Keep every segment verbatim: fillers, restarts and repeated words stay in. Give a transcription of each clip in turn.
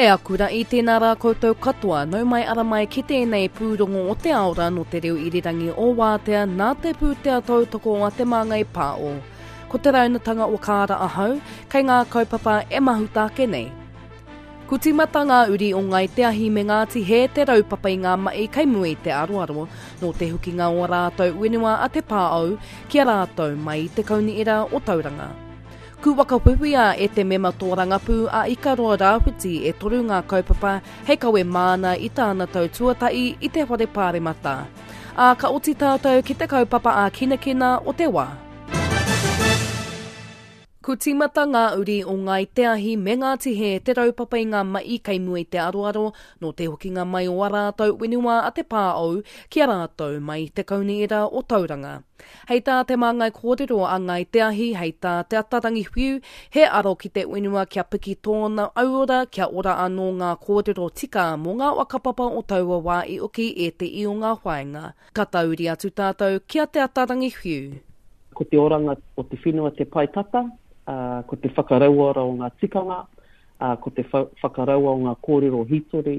E aku rā i tēnā rā koutou katoa, nau mai ara mai ki tēnei pūrongo o te aora no te reo irirangi o Wātea nā te pūtea tautoko a Te Māngai Pāo. Ko te raunatanga o kāra ahau, kei ngā kaupapa e mahuta ake nei. Ku tīmata ngā uri o Ngai Te Ahi me Ngāti Hē te raupapa i ngā mahi kei mua i te aroaro, nō te hukinga o rātou whenua a Te Pāou ki a rātou mai i te kaunihera o Tauranga. Ku whakawhiwhia e te mema tōrangapū a Ikaroa Rāwhiti e toru ngā kaupapa hei kawe māna i tāna tau tuatahi i te whare pāremata. Ā, ka oti tātou ki te kaupapa ā-kinakina o te wā. Ku tīmata ngā uri o Ngai Te Ahi me Ngāti Hē te raupapa i ngā mahi kei mua i te aroaro nō te hokinga mai o a rātou whenua a Te Pāou ki a rātou mai i te kaunihera o Tauranga. Hei tā te māngai kōrero a Ngai Te Ahi, hei tā Te Atarangi Whiu, he aro ki te whenua kia piki tōna auora, kia ora anō ngā kōrero tika mō ngā whakapapa o taua wā i oki e te i o ngā whāinga. Ka tauri atu tātou ki a Te Atarangi Whiu. Ko te oranga o te whenua te pae tata, uh, ko te whakarauora o ngā tikanga, uh, ko te whakaraua o ngā kōrero hītori,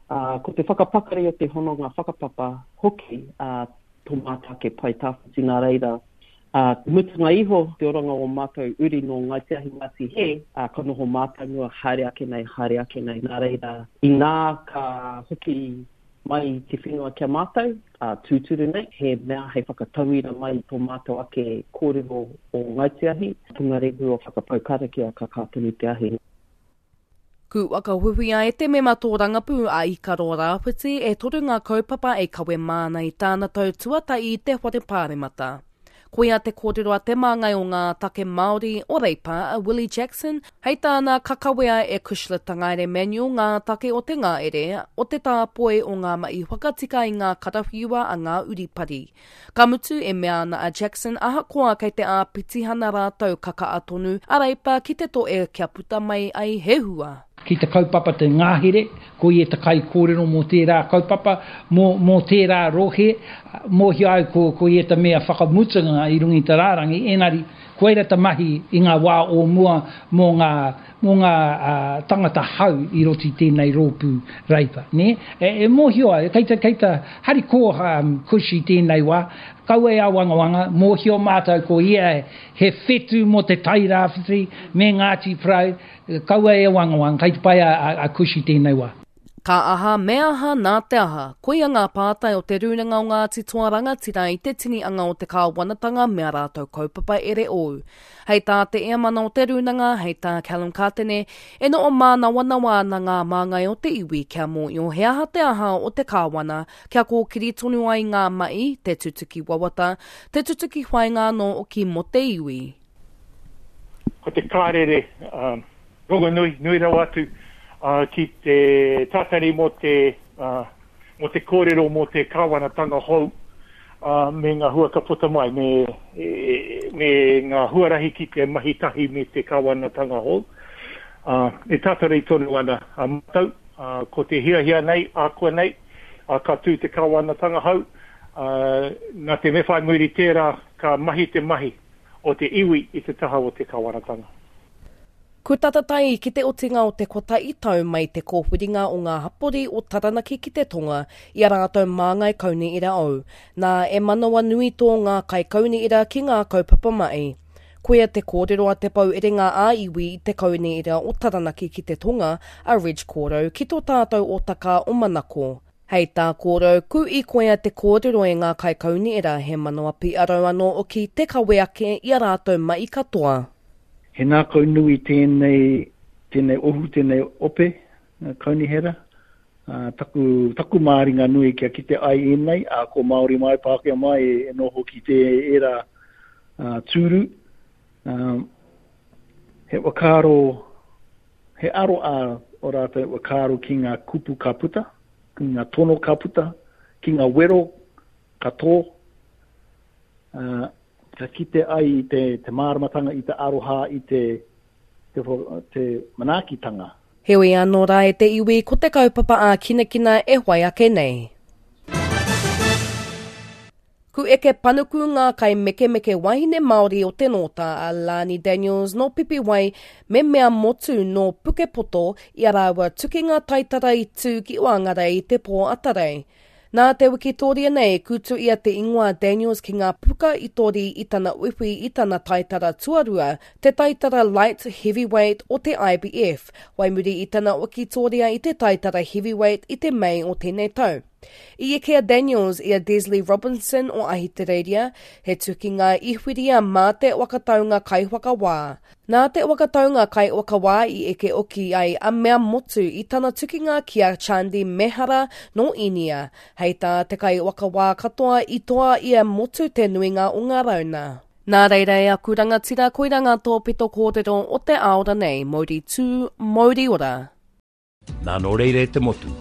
uh, ko te whakapakari o te hononga whakapapa hoki uh, tō mātou ake pae tawhiti nā reira. Uh, te mutunga iho, te oranga o mātou uri nō Ngai Te Ahi Ngāti Hē, uh, ka noho mātou mua haere ake nei, haere ake nei. Nā reira, inā ka hoki mai te whenua kia mātou, uh, tūturu nei, he mea hei whakatauira mai tō mātou ake kōrero o Ngai Te Ahi, pungarehu o whakapau karakia ka kā tonu te ahi. Ku whakawhiwhia e te mema tōrangapū a Ikaroa Rāwhiti e toru ngā kaupapa e kawe māna i tāna tau tuatahi i te whare pāremata. Koia te kōrero a te māngai o ngā take Māori o Reipa a Willie Jackson, hei tāna ka kawea e Cushla Tangaere Manuel ngā take o te ngāere, o te tāpoi o ngā mahi whakatika i ngā karawhiua a ngā uripari. Ka mutu e mea ana a Jackson ahakoa kei te āpitihana rātou ka kaa tonu a Reipa ki te toe kia puta mai ai he hua. Ki te kaupapa te ngāhere, ko ia te kai kōrero mō tērā kaupapa, mō, mō tērā rohe, mōhio ai ko, ko ia te mea whakamutunga i runga i te rārangi, enari, koira te mahi i ngā wā o mua mō ngā, mō ngā uh, tangata hau i roti tēnei rōpū Reipa. Ne? E, e mōhio ai, kei te, kei te hariko um, Kush i tēnei wā, kaua e awangawanga, mōhio mātou ko ia he whetu mō te Tairāwhiti me Ngāti Porou, kaua e awangawanga, kei te pai a, a, a Kush i tēnei wā. Ka aha, me aha, nā te aha. Koia ngā pātai o te Rūnanga o Ngāti Toa Rangatira i te tini anga o te kāwanatanga me a rātou kaupapa ere ou. Hei tā te eamana o te Rūnanga, hei tā Callum Kātene, e noho mānawanawa ana ngā māngai o te iwi kia mōio he aha te aha o te kāwana, kia kōkiri tonu ai ngā mahi, te tutuki wawata, te tutuki whainga anō oki mō te iwi. Ko te kārere um, rongonui, nui rawa atu, Uh, ki te tātari mō te, uh, mō te kōrero mō te kāwanatanga hou uh, me ngā hua ka puta mai, me, e, me ngā huarahi ki te mahi tahi me te kāwanatanga hou. Uh, e tātari tonu ana a mātou, uh, ko te hiahia nei, ākua nei, uh, ka tū te kāwanatanga hou, uh, nā te me whai muri tērā ka mahi te mahi o te iwi i te taha o te kāwanatanga. Ku tatatai ki te otinga o te kotahi tau mai te kōwhiringa o ngā hapori o Taranaki ki te tonga i a rātou māngai kaunihera ou. Nā e manawa nui tō ngā kai kaunihera ki ngā kaupapa mahi. Koia te kōrero a te pau erenga a iwi i te kaunihera o Taranaki ki te tonga a Reg Kōrau ki tō tātou o taka o Manako. Hei tā kōrau, ku i koia te kōrero e ngā kai kaunihera he manawa piarau anō oki te kawe ake i a rātou mahi katoa. He ngākau nui tēnei, tēnei ohu, tēnei ope, kaunihera. Uh, taku, taku māringa nui kia kite ai ēnei, a ko Māori mai, Pākehā mai e, e noho ki te era uh, tūru. Um, he whakaaro, he aro a o rātou whakaaro ki ngā kupu ka puta, ki ngā tono ka puta, ki ngā wero ka tō. Uh, ka kite ai i te, te māramatanga, i te aroha, i te, te, te manaakitanga. Heoi anō rā e te iwi ko te kaupapa ā kinakina e whai ake nei. Ku eke panuku ngā kaimekemeke wahine Māori o te Nōta a Lani Daniels nō Pipiwai me Mea Motu nō Pukepoto i a rāua tukinga taitara i tū ki Whangarei i te pō atarei. Nā te wikitoria nei, kutu ia te ingoa Daniels ki ngā puka i tori i tana uiui i tana taitara tuarua, te taitara light heavyweight o te I B F, wai muri i tana wikitoria i te taitara heavyweight i te Mei o tēnei tau. I eke a Daniels i a Desley Robinson o Ahitereiria, he tukinga i whiria mā te wakataunga kaiwhakawā. Nā te wakataunga kaiwhakawā i eke oki ai a Mea Motu i tana tukinga ki a Chandi Mehara nō Inia. Hei tā te kaiwhakawā katoa i toa i a Motu te nuinga o ngā rauna. Nā reira e aku rangatira, koira ngā tōpito kōrero o te aora nei, mauri tū, mauri ora. Nā nō reira e te motu,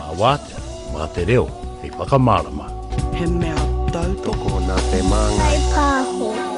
mā wātea, mā te reo, hei whakamārama. He mea tautoko nā te Māngai Pāho.